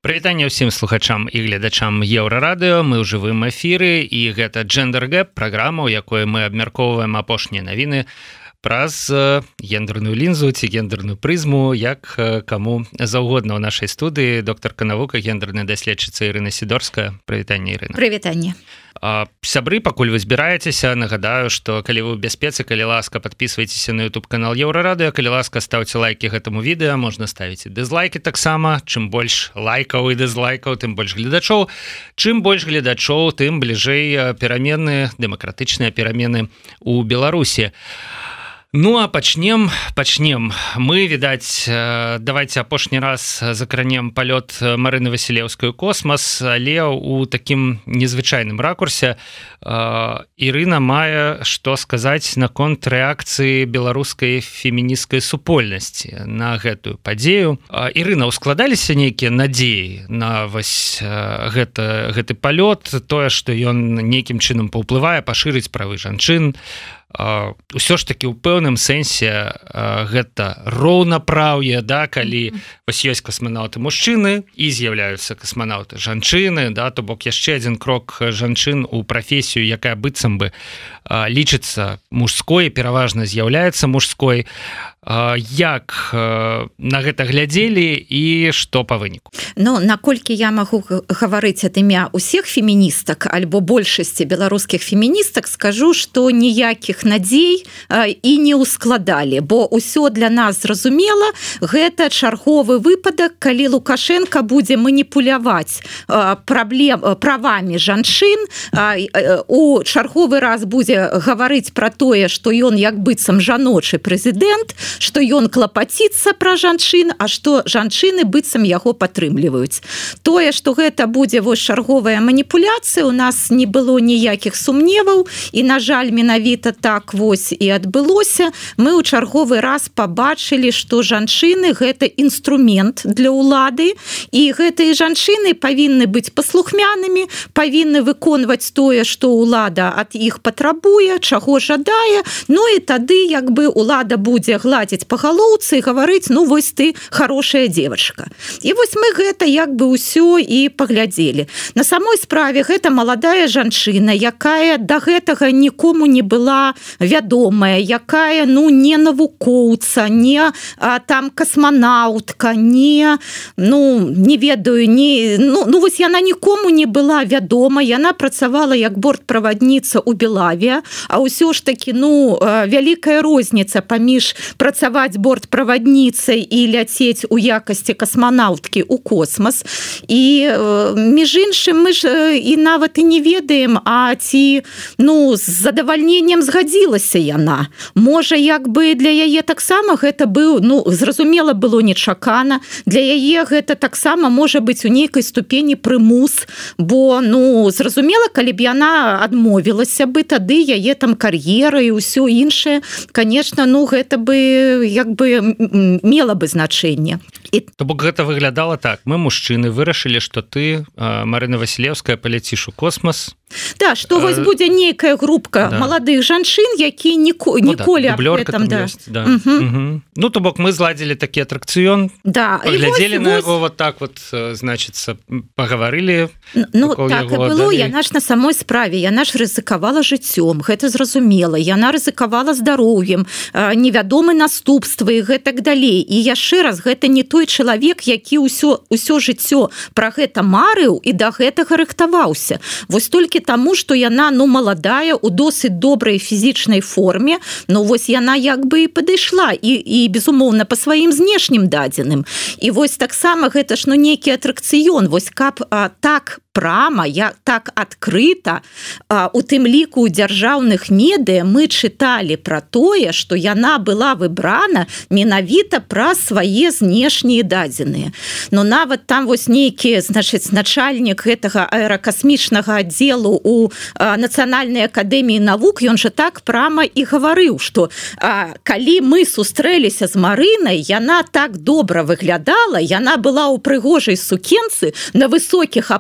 Прывітанне ўсім слухачам і гледачам Еўрарадыё. Мы ў жывым эфіры і гэта Gender Gap, праграма, у якой мы абмяркоўваем апошнія навіны праз гендерную лінзу ці гендерную прызму, як каму заўгодна ў нашай студыі. Доктарка навука, гендерная даследчыца Ірына Сідорская. Прывітанне, Ірына. Прывітанне. Сябры, пакуль вы збіраецеся, нагадаю, што калі вы ў бяспецы, калі ласка, падпісвайцеся на YouTube-канал Еўрарадыё, калі ласка, ставце лайкі гэтаму відэа, можна ставіць і дызлайкі таксама. Чым больш лайкаў і дызлайкаў, тым больш гледачоў. Чым больш гледачоў, тым бліжэй перамены, дэмакратычныя перамены ў Беларусі. Ну, а пачнем. Мы, відаць, давайте апошні раз закранем палёт Марыны Васілеўскай у космас, але ў такім незвычайным ракурсе. Ірына мае што сказаць наконт рэакцыі беларускай фемінісцкай супольнасці на гэтую падзею. Ірына, ускладаліся нейкія надзеі на вось гэты палёт, тое, што ён нейкім чынам паўплывае, пашырыць правы жанчын. Усё ж такі ў пэўным сэнсе гэта роўнапраўе, да, калі вось ёсць касманаўты мужчыны і з'яўляюцца касманаўты жанчыны, да, то бок яшчэ адзін крок жанчын у прафесію, якая быццам бы лічыцца мужской, пераважна з'яўляецца мужской. Як на гэта глядзелі і што па выніку? Ну, наколькі я магу гаварыць ад імя ўсіх феміністак альбо большасці беларускіх феміністак, скажу, што ніякіх надзей і не ўскладалі, бо ўсё для нас зразумела, гэта чарговы выпадак, калі Лукашенко будзе маніпуляваць правамі жанчын, у чарговы раз будзе гаварыць пра тое, што ён як быццам жаночы прэзідэнт, што ён клапаціцца пра жанчын, а што жанчыны быццам яго падтрымліваюць. Тое, што гэта будзе вось чарговая маніпуляцыя, у нас не было ніякіх сумневаў, і, на жаль, менавіта так вось і адбылося. Мы ў чарговы раз пабачылі, што жанчыны – гэта інструмент для ўлады, і гэтыя жанчыны павінны быць паслухмянымі, павінны выконваць тое, што ўлада ад іх патрабуе, чаго жадае, ну і тады як бы ўлада будзе гладзіць па галоўцы і гаварыць, ну вось ты хорошая девочка. І вось мы гэта як бы ўсё і паглядзелі. На самой справе гэта маладая жанчына, якая да гэтага нікому не была вядомая, якая, ну, не навукоўца, не там касманаўтка, не ведаю, ну вось яна нікому не была вядома, яна працавала як бортправадніца ў Белавіа, а ўсё ж такі, ну, вялікая розніца паміж працаваць бортправадніцай і ляцець у якасці касманаўткі ў космас. І, між іншым, мы ж і нават і не ведаем, а ці, ну, з задавальненнем згадзілася яна. Можа, як бы для яе таксама гэта быў, ну, зразумела, было нечакана. Для яе гэта таксама можа быць у нейкай ступені прымус, бо, ну, зразумела, калі б яна адмовілася бы, тады яе там кар'ера і ўсё іншае, конечно, ну, гэта бы як бы мела бы значэнне. То бок гэта выглядала так. Мы, мужчыны, вырашылі, што ты, Марына Васілеўская, паляціш у космас. Да, што вось будзе нейкая групка маладых жанчын, якія ніколі аб гэтым. Ну, то бок мы зладзілі такі атракцыён, паглядзелі на яго вот так вот, значыцца, пагаварылі. Ну, так і было. Яна ж на самой справе, яна ж рызыкавала жыццём, гэта зразумела. Яна рызыкавала здароўем, невядомы наступствы і гэтак далей. І яшчэ раз, гэта не той чалавек, які ўсё жыццё пра гэта марыў і да гэтага рыхтаваўся. Вось толькі таму, што яна, ну, маладая, у досыць добрай фізічнай форме, ну, вось яна як бы і падышла, і безумоўна, па сваім знешнім дадзеным. І вось таксама гэта ж, ну, нейкі атракцыён, вось каб так прама, так адкрыта, у тым ліку ў дзяржаўных медыа мы чыталі пра тое, што яна была выбрана менавіта пра свае знешнія дадзеныя. Но нават там вось нейкі, значыць, начальнік гэтага аэракасмічнага аддзелу у Нацыянальнай акадэміі навук, ён жа так прама і гаварыў, што калі мы сустрэліся з Марынай, яна так добра выглядала, яна была ў прыгожай сукенцы на высокіх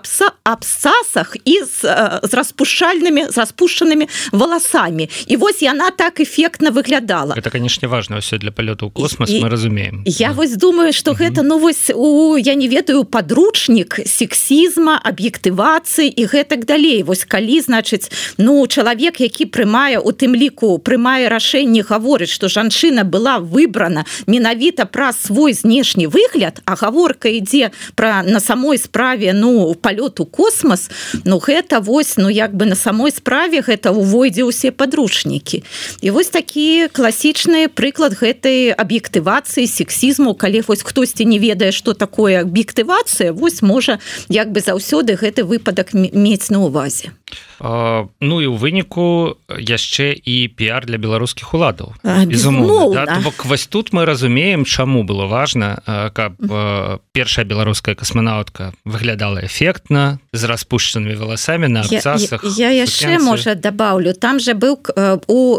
абсцасах і з распушчанымі волосамі. І вось яна так эффектна выглядала. Это, конечно, важно ўсё для палёту ў космос, мы разумеем. Я вось думаю, што гэта, ну вось, я не ведаю, падручнік сексізма, аб'ектывацыі і гэтак далей. Вось калі, значыць, ну, чалавек, які прымае, у тым ліку, прымае рашэнне, гаворыць, што жанчына была выбрана менавіта праз свой знешні выгляд, а гаворка ідзе пра на самой справе, ну, палёт у космос, ну, гэта вось, ну, як бы на самой справе гэта увойдзе ўсе падручнікі. І вось такі класічны прыклад гэтай аб'ектывацыі, сексізму, калі вось хтосьці не ведае, што такое аб'ектывацыя, вось можа як бы заўсёды гэты выпадак мець на ўвазе. Ну і ў выніку яшчэ і піар для беларускіх уладаў. Безумоўна. Да? Бок вось тут мы разумеем, чаму было важна, каб першая беларуская касманаўтка выглядала эфектна, з распушчанымі валасамі на абцасах. Я яшчэ, можа, дабаўлю. Там же быў у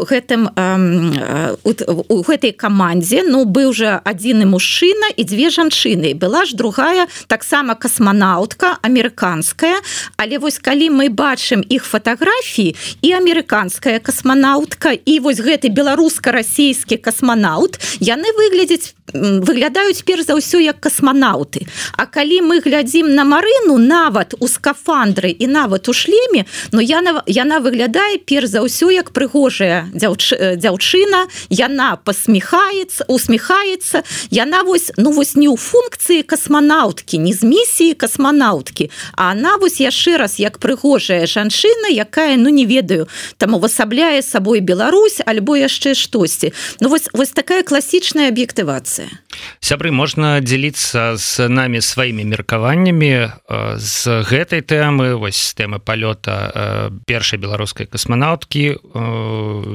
гэтай камандзе, ну, быў жа адзіны мужчына і дзве жанчыны. Была ж другая, таксама касманаўтка, амерыканская, але вось калі мы бачым іх фатаграфіі, і амерыканская касманаўтка, і вось гэты беларуска-расійскі касманаўт, яны выглядаюць перш за ўсё як касманаўты. А калі мы глядзім на Марыну, нават у скафандры і нават у шлеме, ну, яна выглядае перш за ўсё як прыгожая дзяўчына, яна усміхаецца, яна вось, ну, вось не ў функцыі касманаўткі, не з місіі касманаўткі, а она вось яшчэ раз як прыгожая жанчына, якая, ну, не ведаю, там увасабляе сабой Беларусь альбо яшчэ штосьці. Ну, вось такая класічная аб'ектывацыя. Сябры, можна дзеліцца з намі сваімі меркаваннямі з гэтай тэмы, вось тэмы палёта першай беларускай касманаўткі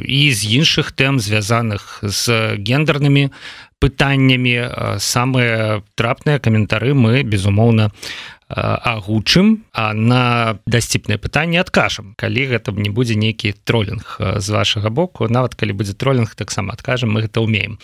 і з іншых тэм, звязаных з гендернымі пытаннямі. Самыя трапныя каментары мы, безумоўна, агучым, а на дасціпнае пытанне адкажам, калі гэта не будзе нейкі тролінг з вашага боку. Нават калі будзе тролінг, таксама адкажам, мы гэта ўмеем.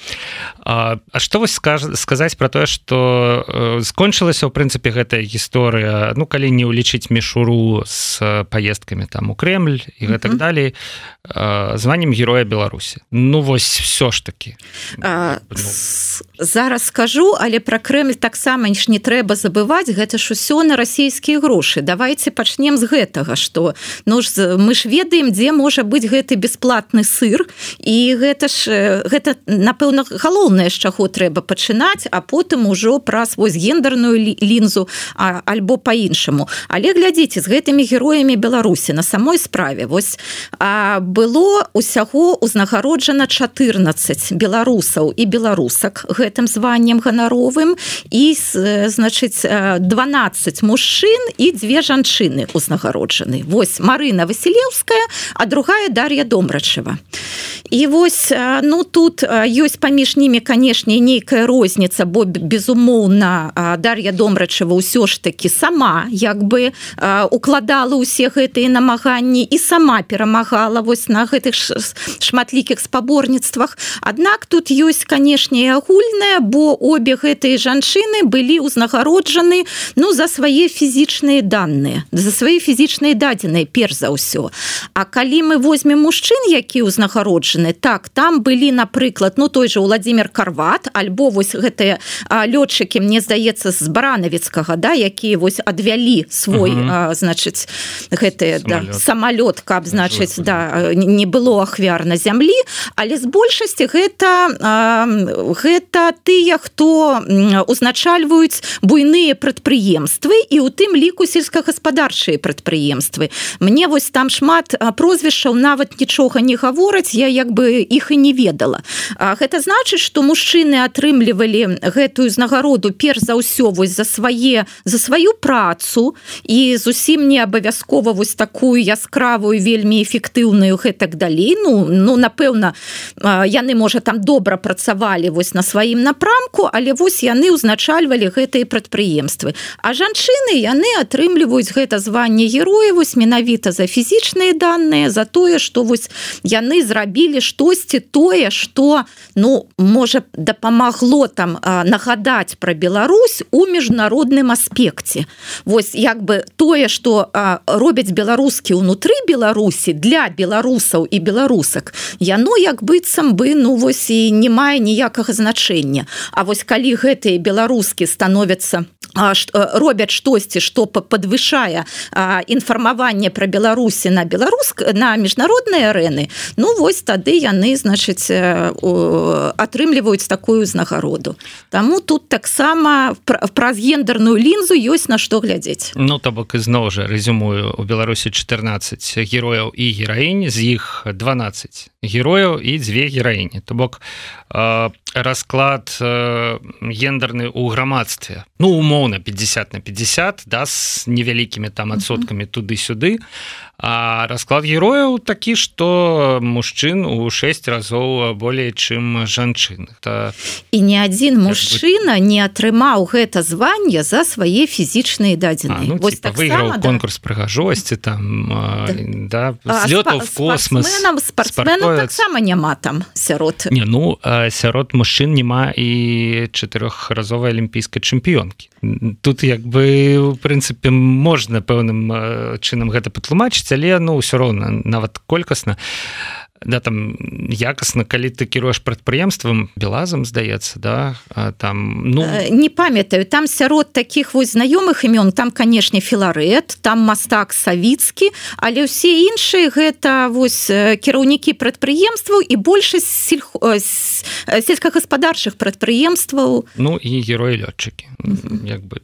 А што вось сказаць пра тое, што скончылася ў прынцыпе гэтая гісторыя, ну, калі не ўлічыць мішуру з паездкамі там у Крэмль і гэтак далей, званнем Героя Беларусі. Ну, вось всё ж такі. Зараз скажу, але пра Крэмль таксама не трэба забываць, гэта ж усё на расійскія грошы. Давайте пачнем з гэтага, што, ну, мы ж ведаем, дзе можа быць гэты бясплатны сыр, і гэта, напэўна, галоўнае, з чаго трэба пачынаць, а потым ужо праз вось гендерную лінзу альбо па-іншаму. Але глядзіце, з гэтымі героямі Беларусі на самой справе вось было усяго узнагароджана 14 беларусаў і беларусак гэтым званнем ганаровым, і, значыць, 12 мужчын і 2 жанчыны узнагароджаны. Вось Марына Васілеўская, а другая Дар'я Домрачева. І вось, ну, тут ёсць паміж німі, канешне, нейкая розніца, бо, безумоўна, Дар'я Домрачева ўсё ж такі сама, як бы, укладала ўсе гэтыя намаганні і сама перамагала вось на гэтых шматлікіх спаборніцтвах. Аднак тут ёсць, канешне, і агульнае, бо обе гэтыя жанчыны былі ўзнагароджаны, ну, за свае фізічныя даныя, за свае фізічныя дадзеныя, перш за ўсё. А калі мы возьмем мужчын, які ўзнагароджаны, так, там былі, напрыклад, ну, той же Владимир Карват, альбо вось гэтыя лётчыкі, мне здаецца, з Баранавіцкага, да, якія вось адвялі свой, значыць, гэты самалёт, каб, значыць, да, не было ахвяр на зямлі, але з большасці гэта тыя, хто узначальваюць буйныя прадпрыемствы і ў тым ліку сельскагаспадарчыя прадпрыемствы. Мне вось там шмат прозвішчаў нават нічога не гавораць, я як бы іх і не ведала. Гэта значыць, што мужчыны атрымлівалі гэтую ўзнагароду перш за ўсё вось за сваю працу, і зусім не абавязкова вось такую яскравую, вельмі эфектыўную гэтак далей. Ну, напэўна, яны, можа, там добра працавалі вось на сваім напрамку, але вось яны ўзначальвалі гэтыя прадпрыемствы. А жанчыны, яны атрымліваюць гэта званне героя вось менавіта за фізічныя даныя, за тое, што вось яны зрабілі сказалі штосьці тое, што можа дапамагло там нагадаць пра Беларусь у міжнародным аспекце. Вось як бы тое, што робяць беларускі ўнутры Беларусі для беларусаў і беларусак, яно як быццам бы вось і не мае ніякага значэння. А вось калі гэтыя беларускі становяцца робяць штосьці, што падвышае інфармаванне пра Беларусі на міжнародныя арэны, вось тады яны, значыць, атрымліваюць такую ўзнагароду. Таму тут таксама праз гендерную лінзу ёсць на што глядзець. То бок ізноў жа рэзюмую, у Беларусі 14 герояў і гераінь, з іх 12 герояў і 2 гераіні. То бок расклад гендерны ў грамадстве, умоўна 50 на 50, з невялікімі там адсоткамі туды-сюды, а расклад герояў такі, што мужчын у 6 разоў болей, чым жанчын. І ні адзін мужчына не атрымаў гэта званне за свае фізічныя дадзеныя. Выйграў конкурс прыгажосці, злётаў в космос. Спартсменаў таксама няма там сярод. Сярод мужчын няма і 4-разовай алімпійскай чэмпіёнкі. Тут як бы, в прынцыпе, можна пэўным чынам гэта патлумачыць, але ўсё роўна, нават колькасна, там якасна, калі ты кіруеш прадпрыемствам, Белазам, здаецца, там, не памятаю, там сярод такіх вось знаёмых імён, там, канешне, Філарэт, там мастак Савіцкі, але ўсе іншыя гэта вось кіраўнікі прадпрыемстваў і большасць сельскагаспадарчых прадпрыемстваў. І героі-лётчыкі. Як бы,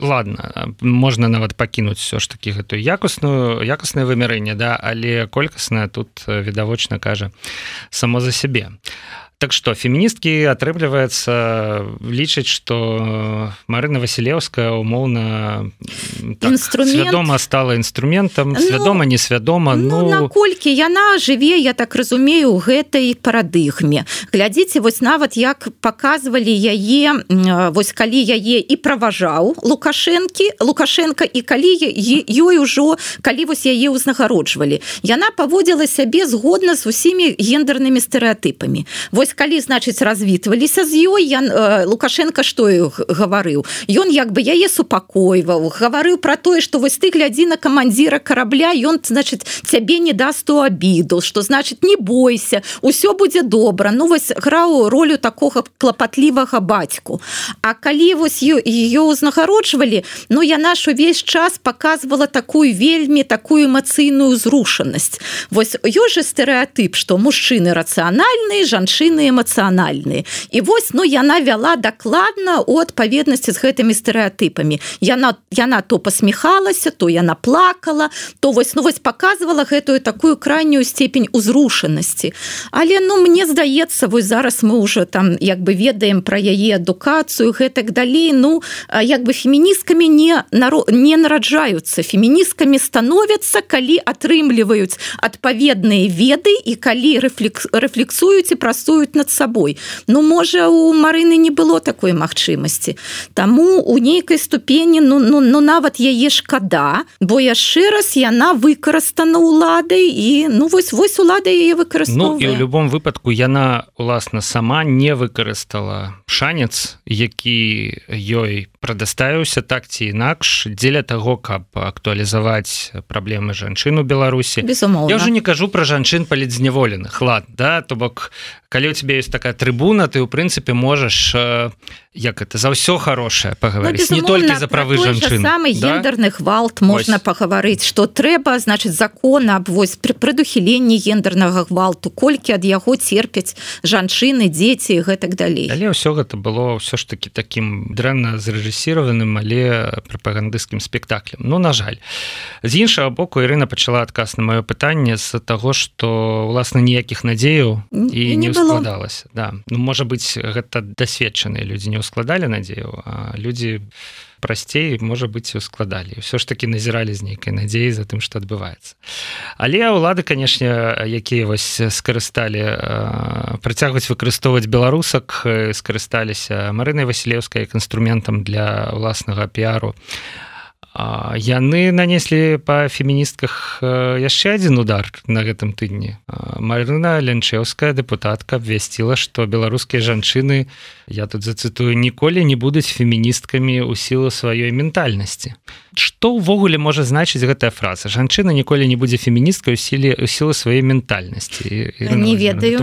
ладно, можна нават пакінуць все ж такі гэтую якаснае вымярэнне, але колькаснае тут відавочна кажа само за сябе. Так што, феміністкі, атрымліваецца, лічаць, што Марына Васілеўская умоўна свядома стала інструментам, свядома, несвядома. Наколькі яна жыве, я так разумею, у гэтай парадыгме. Глядзіце, вось нават як паказвалі яе, вось калі яе і праважаў Лукашенка, і калі ёй ужо, калі вось яе ўзнагароджвалі. Яна паводзіла сябе згодна з усімі гендернымі стэрэатыпамі. Вось калі, значыць, развітваліся з ёй, Лукашенко што гаварыў? Ён як бы яе супакойваў, гаварыў пра тое, што вось ты глядзі на камандзіра карабля, ён, значыць, цябе не даст у абіду, што, значыць, не бойся, усё будзе добра. Вось граў ролю такога клапатлівага бацьку. А калі вось ее ўзнагароджвалі, яна ж увесь час паказвала такую эмацыйную зрушанасць. Вось ёсць жа стэрэатып, што мужчыны рацыянальныя, жанчыны эмацыянальныя. І вось, яна вяла дакладна у адпаведнасці з гэтымі стэрэатыпамі. Яна то пасміхалася, то яна плакала, то вось паказвала гэтую такую крайнюю степень узрушанасці. Але, мне здаецца, вось зараз мы ўжо там як бы ведаем пра яе адукацыю, гэтак далей, як бы феміністкамі не нараджаюцца. Феміністкамі становяцца, калі атрымліваюць адпаведныя веды і калі рэфлексуюць і працуюць над сабой. Можа, у Марыны не было такой магчымасці. Таму у нейкай ступені, нават яе шкада, бо яшчэ раз яна выкарыстана ўладай і, вось улада яе выкарыстоўвае. І ў любом выпадку яна, уласна, сама не выкарыстала шанец, які ёй прадаставіўся так ці інакш дзеля таго, каб актуалізаваць праблемы жанчын у Беларусі. Безумоўна. Я ўжо не кажу пра жанчын палітзняволеных, то бок, калі у тебя есть такая трыбуна, ты, ў прынцыпе, можаш за ўсё хорошее паговорыць, не толькі за правы жанчын. Самы гендерны гвалт можна паговорыць, што трэба, значыць, закон аб прадухіленні гендернага гвалту, колькі ад яго церпяць жанчыны, дзеці і гэтак далей. Але ўсё гэта было ўсё ж таки таким дрэнна зрэжысіраваным, але прапагандысцкім спектаклем. На жаль. З іншага боку, Ірына пачала адказ на маё пытанне з таго, што, уласна, ніякіх надзеяў і не складалася. Можа быць, гэта дасведчаныя людзі не складалі надзею, а людзі прасцей, можа быць, складалі. Ўсё ж такі назіралі з нейкай надзеі за тым, што адбываецца. Але ўлады, канешне, якія вось скарысталі працягваць выкарыстоўваць беларусак, скарысталіся Марынай Васілеўскай як інструментам для ўласнага піару. яны нанеслі па феміністках яшчэ адзін удар на гэтым тыдні. Марына Лянчэўская, дэпутатка, абвясціла, што беларускія жанчыны, я тут зацытую, ніколі не будуць феміністкамі ў сілу сваёй ментальнасці. Што ўвогуле можа значыць гэтая фраза? Жанчына ніколі не будзе феміністкай у сілу сваёй ментальнасці. Не ведаю.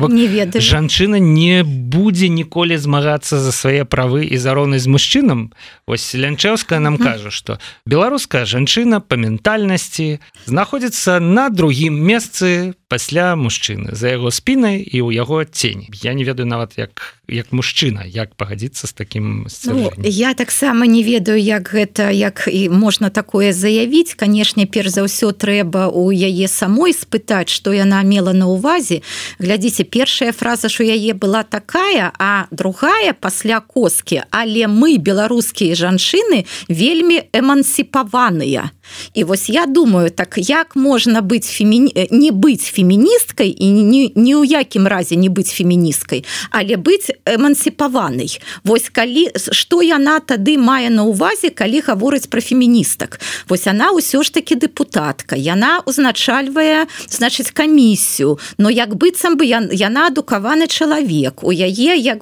Жанчына не будзе ніколі змагацца за свае правы і за роўнасць з мужчынам. Вось Лянчэўская нам кажа, што беларуская жанчына па ментальнасці знаходзіцца на другім месцы пасля мужчыны, за яго спінай і ў яго цені. Я не ведаю нават як мужчына, як пагадзіцца з такім сцвярджэннем. Я таксама не ведаю, як гэта, як і можна такое заявіць. Канешне, перш за ўсё трэба у яе самой спытаць, што яна мела на ўвазе. Глядзіце, першая фраза, што яе была такая, а другая пасля коскі, але мы, беларускія жанчыны, вельмі эмансіпаваныя. І вось я думаю, так як можна быць не быць феміністкай і ні ў якім разе не быць феміністкай, але быць эмансіпаванай. Вось калі, што яна тады мае на ўвазе, калі гаворыць пра феміністак? Вось яна ўсё ж такі дэпутатка, яна узначальвае, значыць, камісію, но як быццам бы яна адукаваны чалавек, у яе як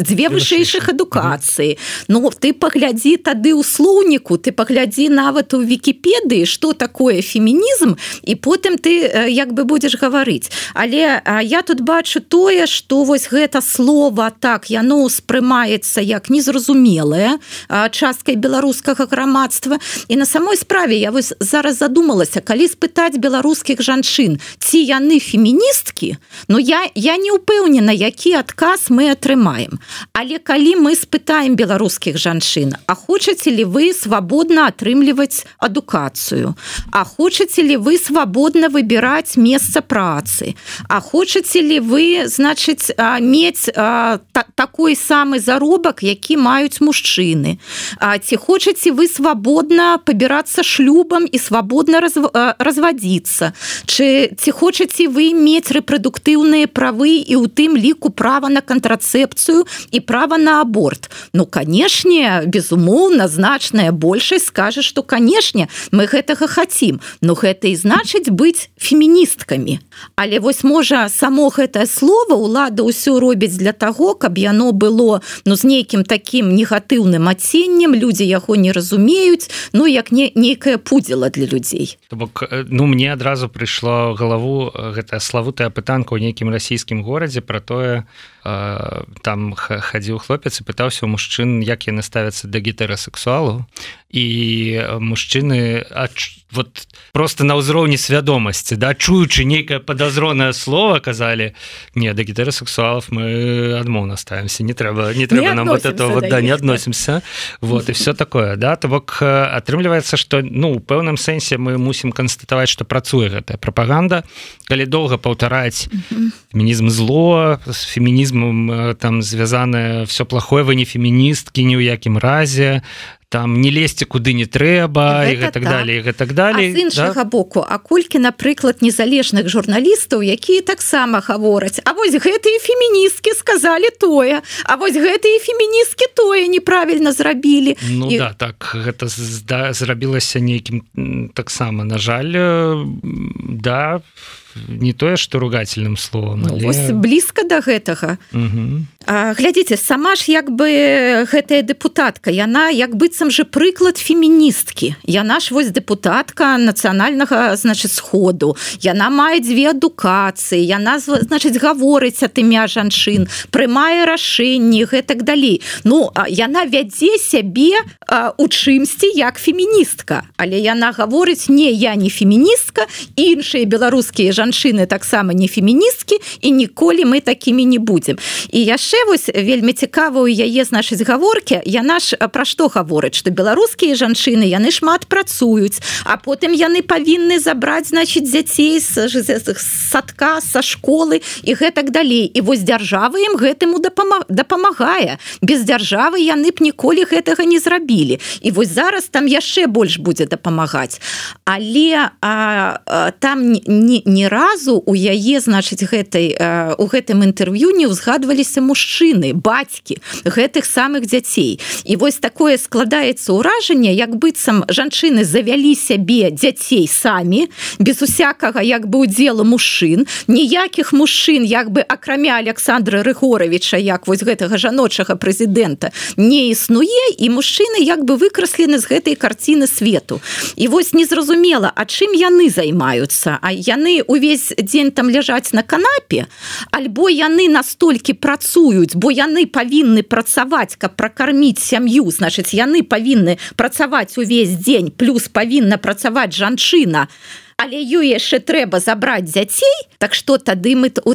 дзве вышэйшых адукацыі. Ну, ты паглядзі тады ў слоўніку, ты паглядзі нават у Вікіпедыі, што такое фемінізм, і потым ты як бы будзеш гаварыць. Але я тут бачу тое, што вось гэта слова, так, яно ўспрымаецца як незразумелае часткай беларускага грамадства. І на самой справе я вось зараз задумалася, калі спытаць беларускіх жанчын, ці яны феміністкі, ну я не ўпэўнена, які адказ мы атрымаем. Але калі мы спытаем беларускіх жанчын, а хочаце ли вы свабодна атрымліваць адукацыю, а хочаце ли вы свабодна выбіраць месца працы, а хочаце ли вы, значыць, мець такой самы заробак, які маюць мужчыны, ці хочаце вы свабодна пабірацца шлюбам і свабодна развадзіцца, ці хочаце вы мець рэпрадуктыўныя правы і ў тым ліку права на кантрацэпцыю і права на аборт. Ну, канешне, безумоўна, значная большасць скажа, што, канешне, мы гэтага хацім, но гэта і значыць быць феміністкамі. Але вось, можа, само гэтае слово ўлада ўсё робіць для таго, каб яно было, ну, з нейкім такім негатыўным адценнем, людзі яго не разумеюць, ну, як нейкая пудзіла для людзей. То бок, ну, мне адразу прыйшло ў галаву гэтая славутая пытанка ў нейкім расійскім горадзе пра тое, там хадзіў хлопец і пытаўся ў мужчын, як яны ставяцца да гетэрасексуалаў, і мужчыны вот просто на ўзроўні свядомасці, да, чуючы нейкае падазронае слово, казалі, не, да гетэрасексуалов мы адмоўна ставімся, не трэба нам вот это вот, да, не адносімся, вот, і все такое, да, то бок атрымліваецца, што, ну, у пэўным сэнсе мы мусім канстатаваць, што працуе гэтая прапаганда, калі доўга паўтараць фемінізм зло, з фемінізмом там звязанае все плохое, вы не феміністкі ні ў якім разе, там не лезьце куды не трэба, і гэтак далей, і гэтак далей. А з іншага боку, а колькі, напрыклад, незалежных журналістаў, якія таксама гавораць, а вось гэтыя феміністкі сказалі тое, а вось гэтыя феміністкі тое неправільна зрабілі. Ну да, так, гэта зрабілася нейкім таксама, на жаль, да, не тое, што ругательным словам, але... Вось блізка да гэтага. Глядзіце, сама ж як бы гэтая дэпутатка, яна як быццам же прыклад феміністкі. Яна ж вось дэпутатка нацыянальнага, значыць, сходу. Яна мае дзве адукацыі, яна, значыць, гаворыць ад імя жанчын, прымае рашэнні, гэтак далей. Ну, яна вядзе сябе у чымсьці як феміністка. Але яна гаворыць, не, я не феміністка, іншыя беларускія жанчыны таксама не феміністкі, і ніколі мы такімі не будзем. І яшчэ вось вельмі цікава ў яе, значыць, гаворкі, яна ж пра што гаворыць, што беларускія жанчыны, яны шмат працуюць, а потым яны павінны забраць, значыць, дзяцей з садка, са школы і гэтак далей. І вось дзяржава ім гэтаму дапамагае. Без дзяржавы яны б ніколі гэтага не зрабілі. І вось зараз там яшчэ больш будзе дапамагаць. Але там не разу у яе, значыць, у гэтым інтэрв'ю не ўзгадваліся мужчыны, бацькі гэтых самых дзяцей. І вось такое складаецца ўражанне, як быццам жанчыны завялі сябе дзяцей самі, без усякага як бы удзелу мужчын, ніякіх мужчын як бы акрамя Александра Рыгоровича, як вось гэтага жаночага прэзідэнта, не існуе, і мужчыны як бы выкраслены з гэтай карціны свету. І вось незразумела, а чым яны займаюцца? А яны увесь дзень там ляжаць на канапе, альбо яны настолькі працуюць, бо яны павінны працаваць, каб пракарміць сям'ю, значыць, яны павінны працаваць увесь дзень, плюс павінна працаваць жанчына, але ёй яшчэ трэба забраць дзяцей, так што тады мы у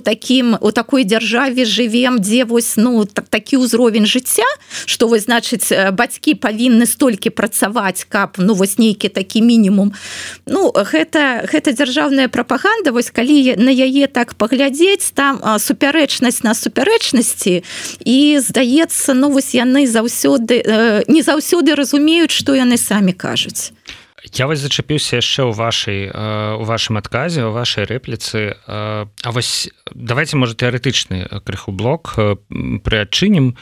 такой дзяржаве жывем, дзе вось такі ўзровень жыцця, што вось, значыць, бацькі павінны столькі працаваць, каб вось нейкі такі мінімум. Гэта дзяржаўная прапаганда, вось калі на яе так паглядзець, там супярэчнасць на супярэчнасці, і здаецца, вось яны не заўсёды разумеюць, што яны самі кажуць. Я вось зачапіўся яшчэ ў вашым адказе, у вашай рэпліцы. А вось давайте, можа, тэарэтычны крыху блок прыадчынім.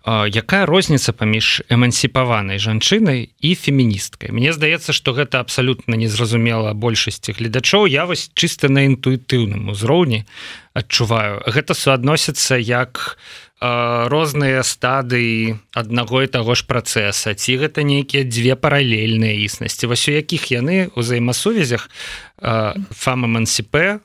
Якая розніца паміж эмансіпаванай жанчынай і феміністкай? Мне здаецца, што гэта абсалютна незразумела большасці гледачоў. Я вось чыста на інтуітыўным узроўні адчуваю. Гэта суадносіцца як розныя стадыі аднаго і таго ж працэса, ці гэта нейкія дзве паралельныя існасці, вось у якіх яны ўзаемасувязях фам-эмансіпе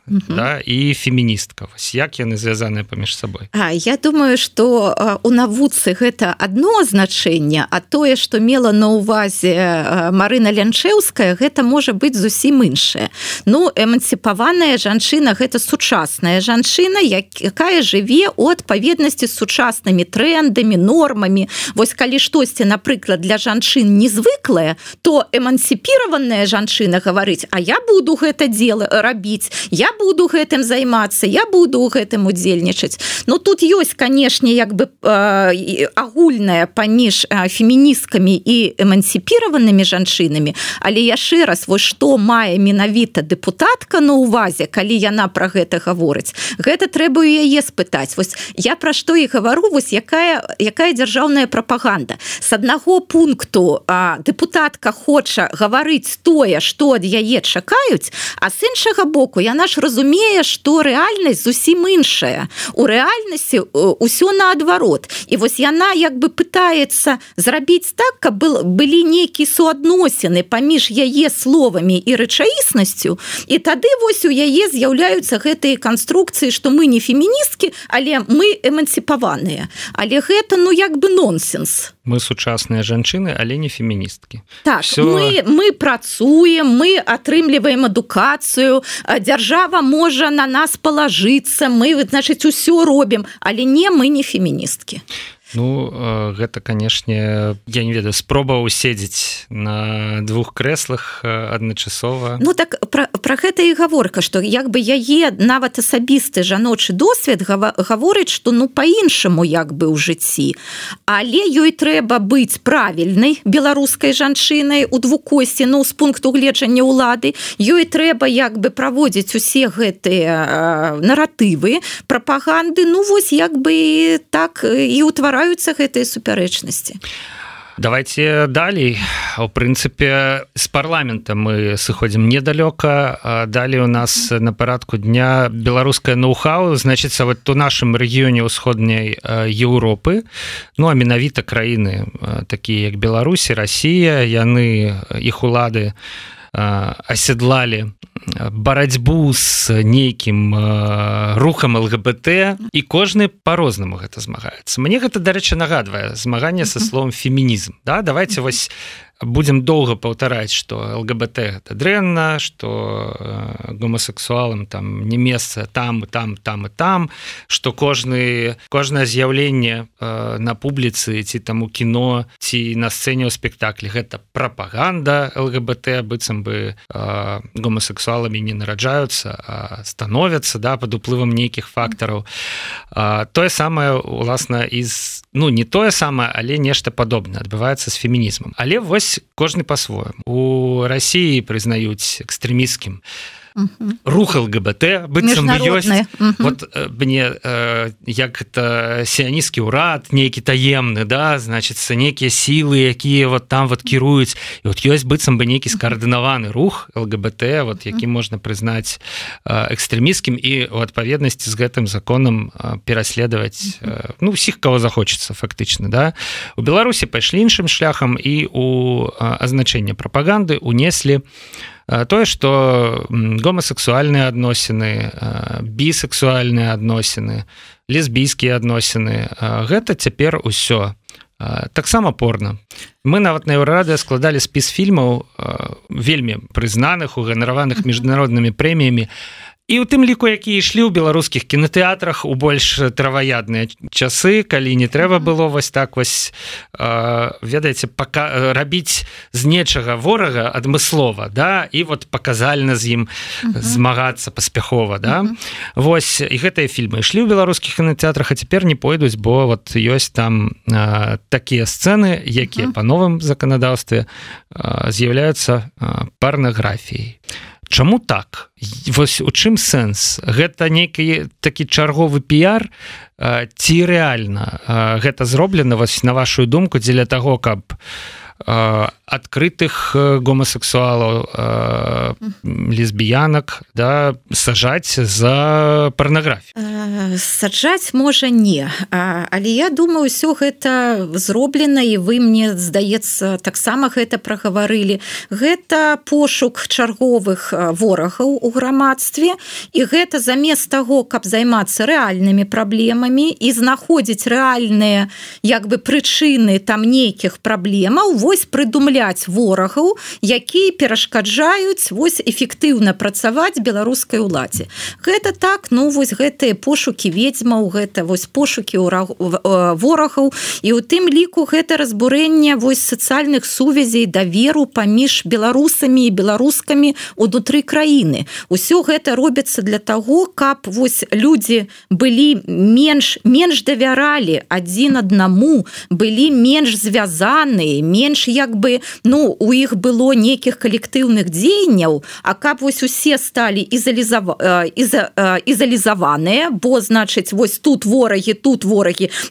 і феміністка. Вось як яны звязаныя паміж сабой? Я думаю, што у навуцы гэта адно значэнне, а тое, што мела на ўвазе Марына Лянчэўская, гэта можа быць зусім іншае. Эмансіпаваная жанчына – гэта сучасная жанчына, якая жыве ў адпаведнасці з сучаснымі трэндамі, нормамі. Вось калі штосьці, напрыклад, для жанчын незвыклае, то эмансіпіраваная жанчына гаворыць, а я буду гэта дело рабіць, я буду гэтым займацца, я буду ў гэтым удзельнічаць. Тут ёсць, канешне, як бы агульная паміж феміністкамі і эмансіпіраванымі жанчынамі, але яшчэ раз, вось што мае менавіта дэпутатка на ўвазе, калі яна пра гэта гаворыць, гэта трэба ў яе спытаць. Вось я пра што і гавару, вось якая дзяржаўная прапаганда. С аднаго пункту дэпутатка хоча гаварыць тое, што ад яе чакаюць, а з іншага боку яна ж разумее, што рэальнасць зусім іншая. У рэальнасці ўсё наадварот. І вось яна як бы пытаецца зрабіць так, каб былі нейкія суадносіны паміж яе словамі і рэчаіснасцю, і тады вось у яе з'яўляюцца гэтыя канструкцыі, што мы не феміністкі, але мы эмансіпаваныя. Але гэта, як бы нонсенс. Мы сучасныя жанчыны, але не феміністкі. Так, мы працуем, мы атрымліваем адукацыю, дзяржава можа на нас палажыцца, мы, значыць, усё робім, але мы не феміністкі. Гэта, канешне, я не ведаю, спроба уседзець на двух крэслах адначасова. Так пра гэта і гаворка, што як бы яе нават асабісты жаночы досвед гаворыць, што па-іншаму як бы ў жыцці. Але ёй трэба быць правільнай беларускай жанчынай у двукосці, з пункту гледжання ўлады. Ёй трэба як бы праводзіць усе гэтыя наратывы, прапаганды, вось як бы так і ўтвараць гэтыя супярэчнасці. Давайте далей. У прынцыпе, з парламента мы сыходзім недалёка. Далей у нас на парадку дня беларускае ноу-хау, значыцца, вот у нашым рэгіёне ўсходняй Еўропы, а менавіта краіны такія як Беларусь, Расія, яны, іх улады аседлалі барацьбу з нейкім рухам ЛГБТ, і кожны по-рознаму гэта змагаецца. Мне гэта, дарэчы, нагадвае змаганне са словом фемінізм. Давайте вось будем доўга паўтараць, што ЛГБТ гэта дрэнна, што гомасексуалам там не месца там, што кожнае з'яўленне на публіцы, ці там у кіно, ці на сцэне ў спектаклі, гэта прапаганда ЛГБТ, быццам бы гомасексуаламі не нараджаюцца, а становяцца пад уплывам нейкіх фактараў. Тое самае, уласна, не тое самае, але нешта падобнае адбываецца з фемінізмам. Але вось кожны па-свойму. У Расіі прызнаюць экстрэмісцкім рух ЛГБТ быццам ёсць. Вот мне як это сіянісцкі ўрад нейкі таемны, да, значыцца нейкія сілы, якія вот там вот кіруюць, і вот ёсць быццам бы нейкі скаардынаваны рух ЛГБТ, вот які можна прызнаць экстрэмісцкім і у адпаведнасці з гэтым законам пераследаваць усіх, кого захочется фактычна, да. У Беларусі пайшлі іншым шляхам і у азначэнне прапаганды унеслі тое, што гомасексуальныя адносіны, бісексуальныя адносіны, лесбійскія адносіны, гэта цяпер усё таксама порно. Мы нават на Еўрарадыё складалі спіс фільмаў вельмі прызнаных, уганараваных міжнароднымі прэміямі, і ў тым ліку, якія ішлі ў беларускіх кінатэатрах у больш траваядныя часы, калі не трэба было вось так вось, ведаеце, рабіць з нечага ворага адмыслова, да, і вот паказальна з ім змагацца паспяхова, да. Вось, і гэтыя фільмы ішлі ў беларускіх кінатэатрах, а цяпер не пойдуць, бо вот ёсць там такія сцэны, якія па новым заканадаўстве з'яўляюцца парнаграфіяй. Чаму так? Вось у чым сэнс? Гэта нейкі такі чарговы піяр, ці рэальна гэта зроблена, вось на вашу думку, дзеля таго, каб адкрытых гомасексуалаў, лесбіянак, да, сажаць за парнаграфію? Саджаць можа не, але я думаю, ўсё гэта зроблена, і вы, мне здаецца, таксама гэта прагаварылі. Гэта пошук чарговых ворагаў у грамадстве, і гэта замест таго, каб займацца рэальнымі праблемамі і знаходзіць рэальныя як бы прычыны там нейкіх праблемаў, вось прыдумляць ворагаў, якія перашкаджаюць вось эфектыўна працаваць беларускай уладзе. Гэта так, вось гэтыя пошукі ведзьмаў, гэта вось пошукі ворагаў, і ў тым ліку гэта разбурэнне вось сацыяльных сувязей, даверу паміж беларусамі і беларускамі ўнутры краіны. Усё гэта робіцца для таго, каб вось людзі былі менш давяралі адзін аднаму, былі менш звязаныя, менш як бы, у іх было нейкіх калектыўных дзеянняў, а каб вось усе сталі ізалізаваныя, бо, значыць, вось тут ворагі,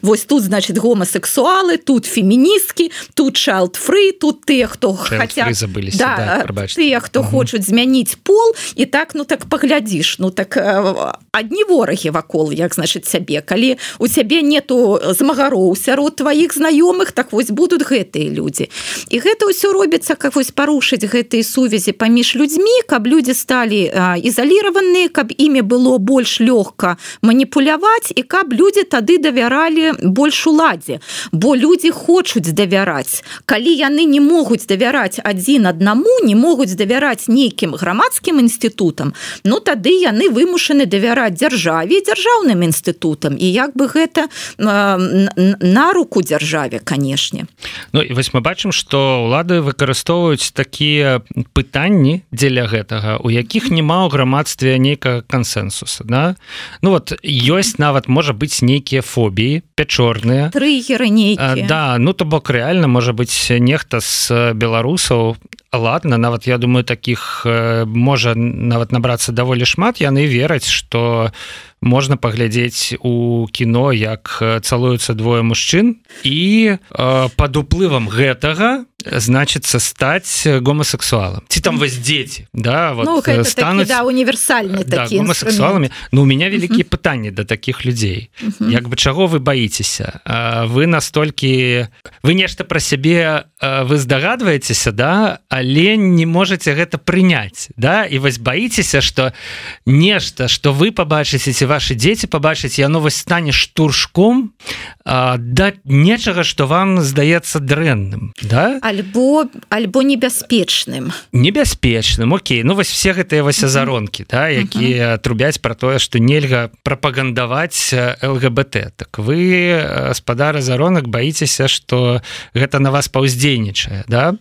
вось тут, значыць, гомасексуалы, тут феміністкі, тут child-free, тут тыя, хто хаця... тыя, хто хочуць змяніць пол, і так, так паглядзіш, адні ворагі вакол, як, значыць, цябе. Калі у цябе нету змагароў сярод тваіх знаёмых, так вось будуць гэтыя людзі. І гэта ўсё робіцца, каб вось парушыць гэтыя сувязі паміж людзьмі, каб людзі сталі ізаліраваныя, каб імі было больш лёгка маніпуляваць, і каб людзі тады давяралі больш уладзе. Бо людзі хочуць давяраць. Калі яны не могуць давяраць адзін аднаму, не могуць давяраць нейкім грамадскім інстытутам, тады яны вымушаны давяраць дзяржаве і дзяржаўным інстытутам. І як бы гэта на руку дзяржаве, канешне. І вось мы бачым, што ўлады выкарыстоўваюць такія пытанні дзеля гэтага, у якіх няма ў грамадстве нейкага кансэнсуса, да? Ёсць нават, можа быць, нейкія фобіі, пячорныя. Трыгеры нейкія. Да, то бок рэальна, можа быць, нехта з беларусаў, ладно, нават, я думаю, такіх можа нават набрацца даволі шмат, яны вераць, што можна паглядзець у кіно, як цалуюцца двое мужчын, і пад уплывам гэтага значыцца стаць гомасексуалам. Ці там вось дзеці, да, вот стануць... Такі, універсальны такі гомасексуаламі. У мяне вялікія пытанні да такіх людзей. Як бы чаго вы баіцеся? Вы настолькі... Вы нешта пра сябе вы здагадваецеся, да, але не можаце гэта прыняць, да, і вось баіцеся, што нешта, што вы пабачыце, ці ваши дзеці пабачыць, яно вось стане штуршком да нечага, што вам здаецца дрэнным, да? Альбо небяспечным. Небяспечным, окей. Вось все гэтыя вось азаронкі, да, якія трубяць пра тое, што нельга прапагандаваць ЛГБТ. Так вы, спадар азаронак, баіцеся, што гэта на вас паўздзейнічае, да?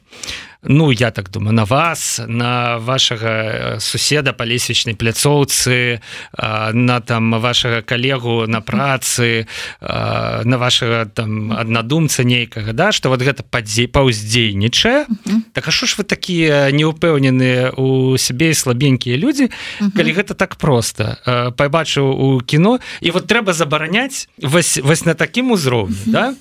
ну я так думаю, на вас, на вашага суседа па лесвічнай пляцоўцы, на там вашага калегу на працы, на вашага там аднадумца нейкага, да, што вот гэта паўздзейнічае. Так а што ж вы такія неўпэўненыя у сябе і слабенькія людзі, калі гэта так проста. Пабачыў у кіно, і вот трэба забараняць вось на такім узроўні, да?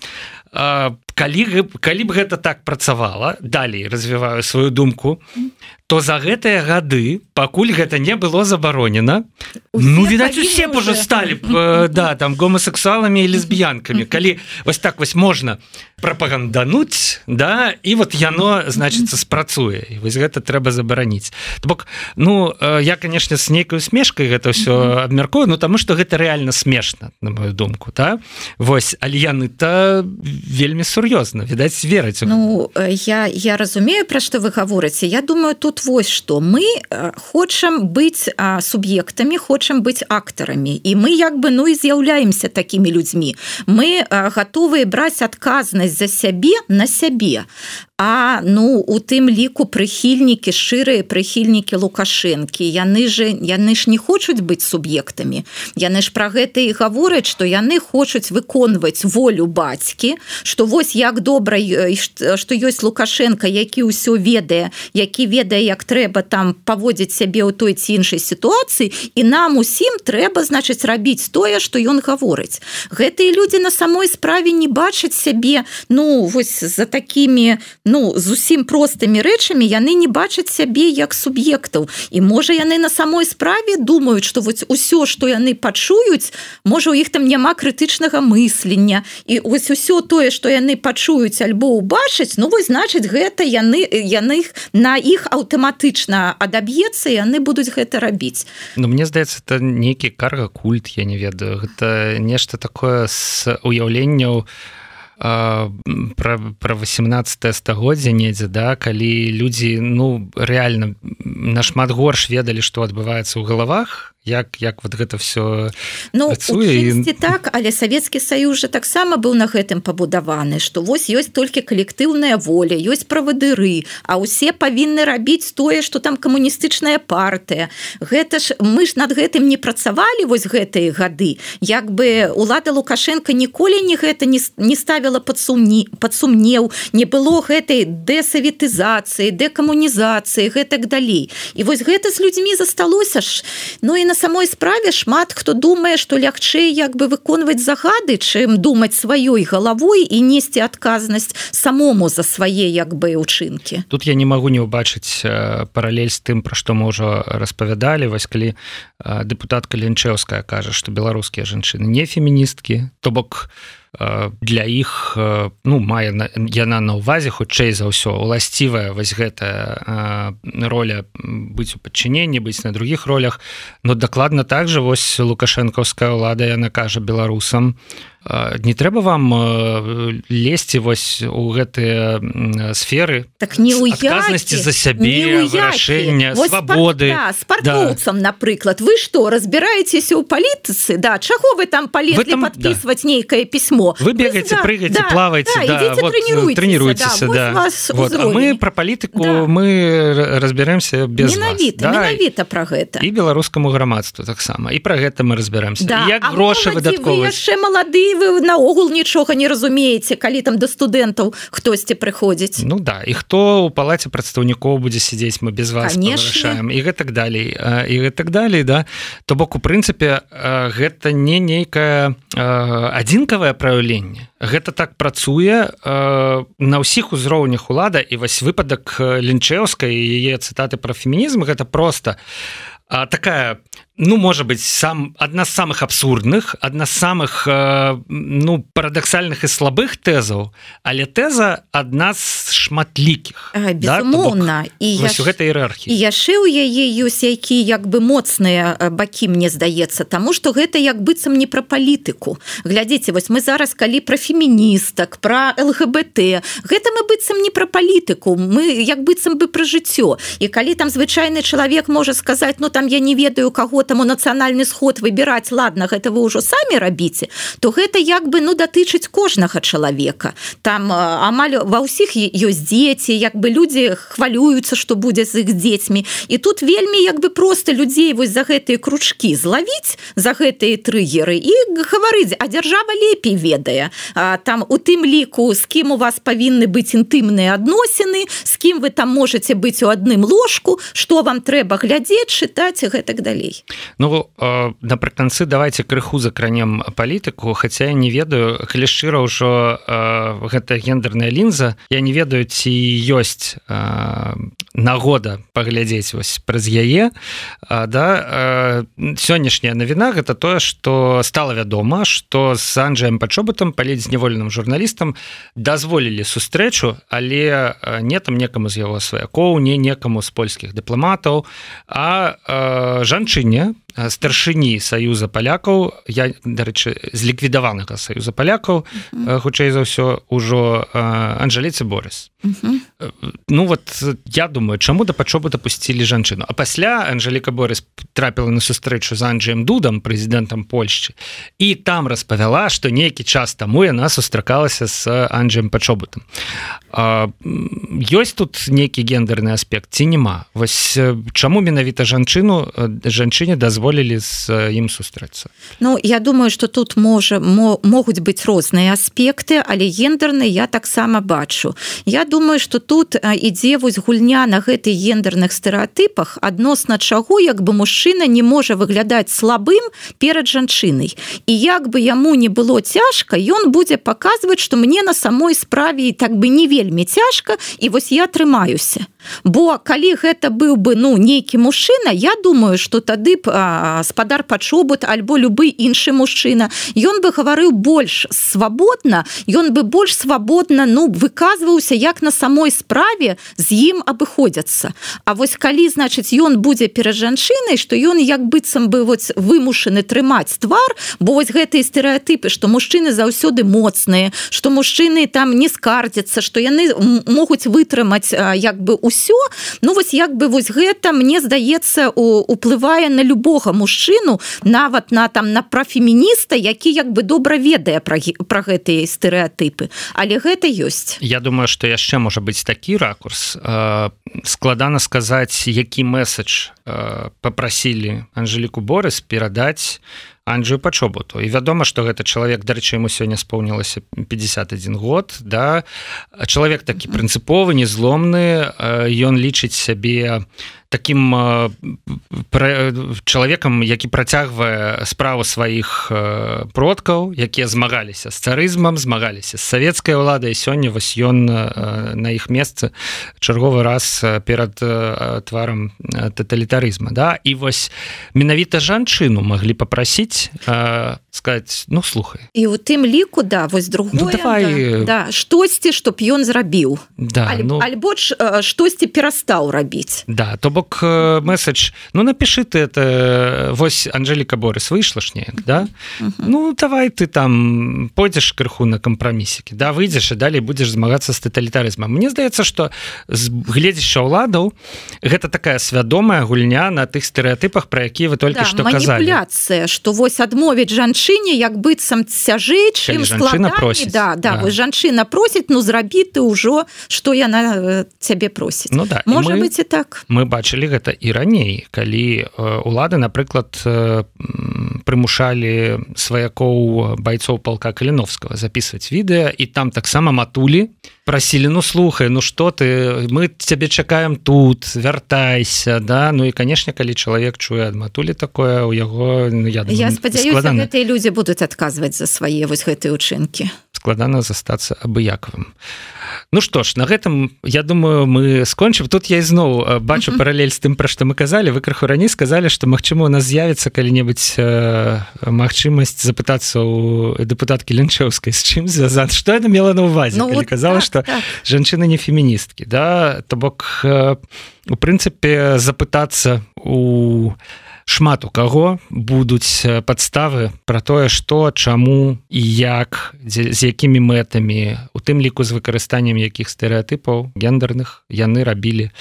Калі б гэта так працавала, далей развіваю сваю думку, то за гэтыя гады, пакуль гэта не было забаронена, ну, відаць, усе б уже сталі да, там, гомасексуаламі і лесбіянкамі. Калі вось так вось можна прапагандануць, да, і вот яно, значыцца, спрацуе. І вось гэта трэба забараніць. То бок, ну, я, канешне, з нейкай усмешкай гэта ўсё абмяркую, ну, таму што гэта рэальна смешна, на мою думку, да? Вось, але яны-то вельмі сур'ёзна, відаць, вераць. Ну, я разумею, пра што вы гаворыце. Я думаю, тут вось што. Мы хочам быць суб'ектамі, хочам быць актарамі. І мы, як бы, ну, і з'яўляемся такімі людзьмі. Мы гатовыя браць адказнасць за сябе на сябе. А, ну, у тым ліку прыхільнікі, шчырыя прыхільнікі Лукашэнкі, яны ж не хочуць быць суб'ектамі. Яны ж пра гэта і гавораць, што яны хочуць выконваць волю бацькі, што вось як добра, што ёсць Лукашенко, які ўсё ведае, які ведае, як трэба там паводзіць сябе ў той ці іншай сітуацыі, і нам усім трэба, значыць, рабіць тое, што ён гаворыць. Гэтыя людзі на самой справе не бачаць сябе, ну, вось за такімі, ну, зусім простымі рэчамі яны не бачаць сябе як суб'ектаў. І можа яны на самой справе думаюць, што вось усё, што яны пачуюць, можа у іх там няма крытычнага мыслення. І вось усё тое, што яны пачуюць альбо ўбачаць, ну вось значыць гэта яны на іх аўтаматычна адаб'ецца, і яны будуць гэта рабіць. Ну мне здаецца, это нейкі карга-культ, я не ведаю. Гэта нешта такое з уяўленняў про 18 стагоддзя недзе, да, калі людзі, ну, рэальна нашмат горш ведалі, што адбываецца ў галавах, як вот гэта все працуе. Ну, так, але Савецкі Саюз жа таксама быў на гэтым пабудаваны, што вось ёсць толькі калектыўная воля, ёсць правадыры, а ўсе павінны рабіць тое, што там камуністычная партыя. Гэта ж, мы ж над гэтым не працавалі вось гэтыя гады. Як бы улада Лукашенко ніколі гэта не ставіла пад сумнеў, не было гэтай дэсаветызацыі, дэкамунізацыі, гэтак далей. І вось гэта з людзьмі засталося ж. Ну і на самой справе шмат хто думае, што лягчэй як бы выконваць загады, чым думаць сваёй галавой і несці адказнасць самому за свае як бы ўчынкі. Тут я не магу не ўбачыць паралель з тым, пра што мы ўжо распавядалі, вось калі дэпутатка Лінчэўская кажа, што беларускія жанчыны не феміністкі, то бок для іх, ну, мае яна на ўвазе хутчэй за ўсё уласцівая вось гэтая роля быць у падчыненні, быць на другіх ролях, но дакладна так жа вось лукашэнкаўская ўлада, яна кажа беларусам, не трэба вам лезці вось у гэтыя сферы, так не адказнасці за сябе, вырашэння, свабоды. Спартоўцам, напрыклад, вы што, разбіраецеся ў палітыцы? Да, чаго вы там палезлі падпісваць нейкае пісьмо? Вы бегаеце, прыгаеце, плаваеце, вот, тренируйтеся, да. Вот, а мы пра палітыку, мы разбярэмся без вас. Менавіта пра гэта. І беларускаму грамадству таксама. І пра гэта мы разбяремся. Як грошы выдаткоўваць. Вы яшчэ малады, вы наогул нічога не разумееце, калі там да студэнтаў хтосьці прыходзіць. Ну да, і хто ў палаце прадстаўнікоў будзе сядзець, мы без вас павырашаем, і гэтак далей, да. То бок, у прынцыпе, гэта не нейкае адзінкавае праяўленне. Гэта так працуе на ўсіх узроўнях улада, і вось выпадак Лінчэўскай і яе цытаты пра фемінізм, гэта проста такая, ну, можа быць, адна з самых абсурдных, адна з самых, ну, парадаксальных і слабых тэзаў, але тэза адна з шматлікіх. Безумоўна. Вось у гэтай іерархіі. І яшчэ ў яе ёсць які як бы моцныя бакі, мне здаецца, таму што гэта як быццам не пра палітыку. Глядзіце, вось мы зараз калі пра феміністак, пра ЛГБТ, гэта мы быццам не пра палітыку, мы як быццам бы пра жыццё. І калі там звычайны чалавек можа сказаць, ну, там я не ведаю, каго таму нацыянальны сход выбіраць, ладно, гэта вы ўжо самі рабіце, то гэта як бы датычыць кожнага чалавека. Там амаль ва ўсіх ёсць дзеці, як бы людзі хвалююцца, што будзе з іх дзецьмі. І тут вельмі як бы проста людзей вось за гэтыя кручкі злавіць, за гэтыя трыгеры і гаварыць, а дзяржава лепей ведае. Там у тым ліку, з кім у вас павінны быць інтымныя адносіны, з кім вы там можаце быць у адным ложку, што вам трэба глядзець, чытаць і гэтак далей. Ну, напрыканцы давайте крыху закранем палітыку, хаця я не ведаю, калі шчыра ўжо гэта гендерная лінза, я не ведаю, ці ёсць нагода паглядзець вось праз яе. Сённяшняя навіна гэта тое, што стала вядома, што з Анджэем Пачобутам, палітзняволеным журналістам, дазволілі сустрэчу, але не там некаму з яго сваякоў, не некаму з польскіх дыпламатаў, а жанчыне, старшыні Саюза палякаў, я, дарэчы, з ліквідаванага Саюза палякаў, хутчэй за ўсё, ужо Анжэліцы Борыс. Ну вот я думаю, чаму да Пачобута пусцілі жанчыну? А пасля Анжэліка Борыс трапіла на сустрэчу з Анджэем Дудам, прэзідэнтам Польшчы, і там распавяла, што нейкі час таму яна сустракалася з Анджэем Пачобутам. Ёсць тут нейкі гендерны аспект ці няма? Вось чаму менавіта жанчыне дазволілі з ім сустрэцца? Ну, я думаю, што тут могуць быць розныя аспекты, але гендерны я таксама бачу. Я думаю, што тут ідзе вось гульня на гэтых гендерных стэрэатыпах, адносна чаго як бы мужчына не можа выглядаць слабым перад жанчынай. І як бы яму не было цяжка, ён будзе паказваць, што мне на самой справе так бы не вельмі цяжка, і вось я трымаюся. Бо калі гэта быў бы нейкі мужчына, я думаю, што тады б спадар Пачобут альбо любы іншы мужчына, ён бы гаварыў больш свабодна, ён бы больш свабодна выказваўся, як на самой справе з ім абыходзяцца. А вось калі, значыць, ён будзе перад жанчынай, што ён як быццам бы вымушаны трымаць твар, бо вось гэтыя стэрэатыпы, што мужчыны заўсёды моцныя, што мужчыны там не скардзяцца, што яны могуць вытрымаць як бы ўсё, ну вось як бы вось гэта, мне здаецца, уплывае на любога мужчыну, нават на прафемініста, які як бы добра ведае пра гэтыя стэрэатыпы. Але гэта ёсць. Я думаю, што яшчэ можа быць такі ракурс. Складана сказаць, які месседж папрасілі Анжэліку Борыс перадаць Анджэю Пачобуту. І вядома, што гэта чалавек, дарэчы, яму сёння споўнілася 51 год, да? Чалавек такі прынцыповы, незломны, ён лічыць сябе таким чалавекам, які працягвае справу сваіх продкаў, якія змагаліся з царызмам, змагаліся з савецкай уладай, сёння вось ён на іх месцы чарговы раз перад тварам таталітарызма. Да? І вось менавіта жанчыну маглі папрасіць сказаць, ну, слухай. І ў тым ліку, да, вось другое, ну, давай... да, штосьці, чтоб ён зрабіў. Да, альбо штосьці перастаў рабіць. Да, то бок месседж, ну, напиши ты это, вось Анжэліка Борыс выйшла ж неяк, да? Ну, давай ты там пойдзеш крыху на кампрамісікі, да, выйдзеш і далей будзеш змагацца з таталітарызмам. Мне здаецца, што з гледзяща ўладаў гэта такая свядомая гульня на тых стэрэатыпах, пра якія вы толькі што казалі. Маніпуляцыя, што вось адмовіць жанчыне як быццам цяжэй, чым складаней. Да, вось жанчына просіць, ну, зрабі ты ўжо, што яна цябе просіць. Ну, да. Можа быць і так. Мы бачылі гэта і раней, калі улады, напрыклад, прымушалі сваякоў байцоў палка Каліновскага записываць відэа, і там таксама матулі прасілі, ну, слухай, ну, што ты, мы цябе чакаем тут, вяртайся, да, ну, і, канешне, калі чалавек чуе ад матулі такое, у яго, ну, я думаю, я спадзяюся, гэтыя людзі будуць адказваць за свае вось гэтыя ўчынкі. Складана застацца абыякавым. Ну што ж, на гэтым, я думаю, мы скончым. Тут я ізноў бачу паралель з тым, пра што мы казалі. Вы крыху раней сказалі, што, магчыма, у нас з'явіцца калі-небудзь магчымасць запытацца у дэпутаткі Лінчэўскай, з чым звязана. Што яна мела на ўвазе, калі казала, што жанчыны не феміністкі, да? То бок, у прынцыпе, запытацца у шмат у каго будуць падставы пра тое, што, чаму і як, з якімі мэтамі, у тым ліку з выкарыстаннем якіх стэрэатыпаў гендерных яны рабілі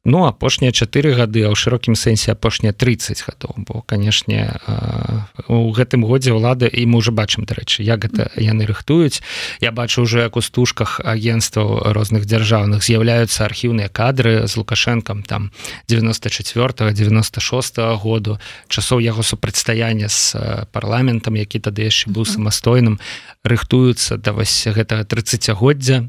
Ну апошнія 4 гады, а ў шырокім сэнсе апошнія 30 гадоў, бо канешне у гэтым годзе ўлада, і мы ўжо бачым, дарэчы, як гэта яны рыхтуюць. Я бачу ўжо, як у стужках агенцтваў розных дзяржаўных з'яўляюцца архіўныя кадры з Лукашэнкам там 94-96 году, часоў яго супрацьстаяння з парламентам, які тады яшчэ быў самастойным, рыхтуюцца да вось гэтага 30-годдзя,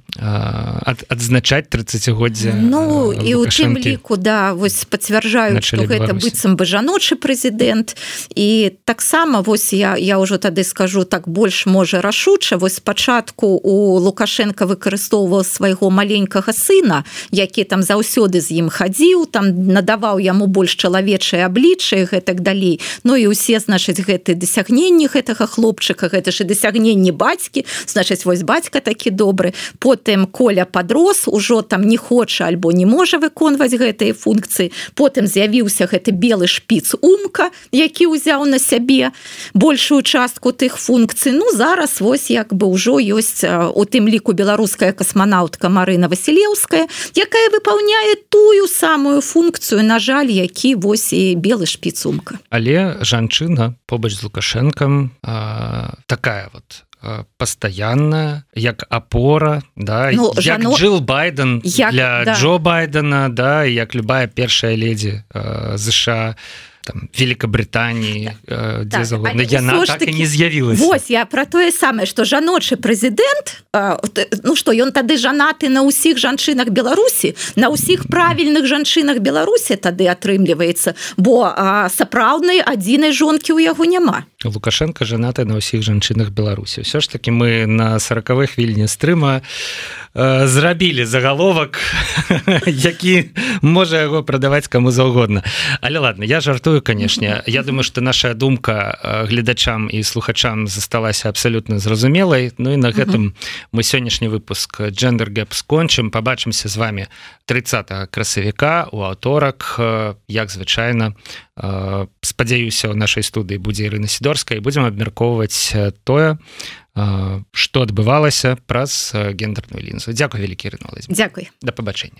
адзначаць 30-годдзя. Ну і ў тым ліку, да, вось пацвярджаюць, што гэта быццам бы жаночы прэзідэнт, і таксама вось я ўжо тады скажу так больш можа рашуча, вось спачатку у Лукашенка выкарыстоўваў свайго маленькага сына, які там заўсёды з ім хадзіў, там надаваў яму больш чалавечае аблічча і гэтак далей. Ну і ўсе, значыць, гэты дасягненні гэтага хлопчыка, гэта ж і дасягненні бацькі, значыць, вось бацька такі добры. Потым Коля падрос, ужо там не хоча альбо не можа выконваць гэтыя функцыі. Потым з'явіўся гэты белы шпіц Умка, які ўзяў на сябе большую частку тых функцый. Ну, зараз вось як бы ўжо ёсць у тым ліку беларуская касманаўтка Марына Васілеўская, якая выпаўняе тую самую функцыю, на жаль, які вось і белы шпіц Умка. Але жанчына побач з Лукашэнкам такая вот пастаянная, як апора, да, ну, як Джилл Байден для Джо Байдена, да, як любая першая леді США, там, Великобритании, дзе загодна. Яна так і не з'явілася. Вось, я про тое самае, што жаночы прэзідэнт, ну што, ён тады жанаты на ўсіх жанчынах Беларусі, на ўсіх правільных жанчынах Беларусі тады атрымліваецца, бо сапраўднай адзінай жонкі ў яго няма. Лукашенко жанаты на ўсіх жанчынах Беларусі. Ўсё ж таки мы на 40-х хвіліне стрыма зрабілі загаловак, які можа яго прадаваць каму заўгодна. Але ладно, я жартую, канешне. Я думаю, што наша думка гледачам і слухачам засталася абсалютна зразумелай. Ну і на гэтым мы сённяшні выпуск Gender Gap скончым. Пабачымся з вами 30 красавіка у аўторак, як звычайна. Спадзяюся, у нашай студыі будзе Ірына Сідорская, і будзем абмяркоўваць тое, што адбывалася праз гендерную лінзу. Дзякуй вялікі, Ірына Валодзіміровна. Дзякуй. Да пабачэння.